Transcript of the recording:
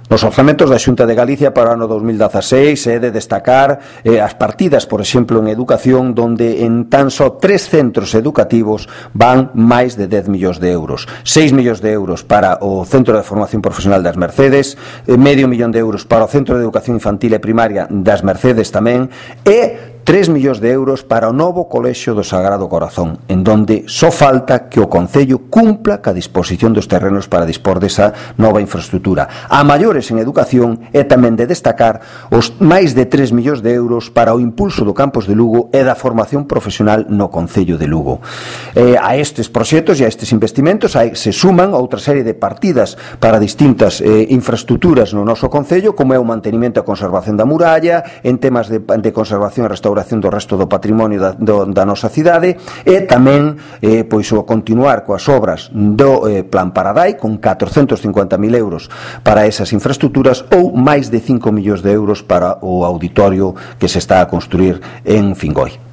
Nos orzamentos da Xunta de Galicia para o ano 2016 é de destacar as partidas, por exemplo, en educación, donde en tan só 3 centros educativos van máis de 10 millóns de euros. 6 millóns de euros para o Centro de Formación Profesional das Mercedes, medio millón de euros para o Centro de Educación Infantil e Primaria das Mercedes tamén, e 3 millóns de euros para o novo Colexio do Sagrado Corazón, en donde só falta que o Concello cumpla ca disposición dos terrenos para dispor desa nova infraestructura. A maiores en educación é tamén de destacar os máis de 3 millóns de euros para o impulso do campus de Lugo e da formación profesional no Concello de Lugo. A estes proxectos e a estes investimentos se suman outra serie de partidas para distintas infraestructuras no noso Concello, como é o mantenimento e a conservación da muralla, en temas de conservación e restauración do resto do patrimonio da nosa cidade, e tamén pois o continuar coas obras do Plan Paradai con 450.000 euros para esas infraestructuras, ou máis de 5 millóns de euros para o auditorio que se está a construir en Fingoi.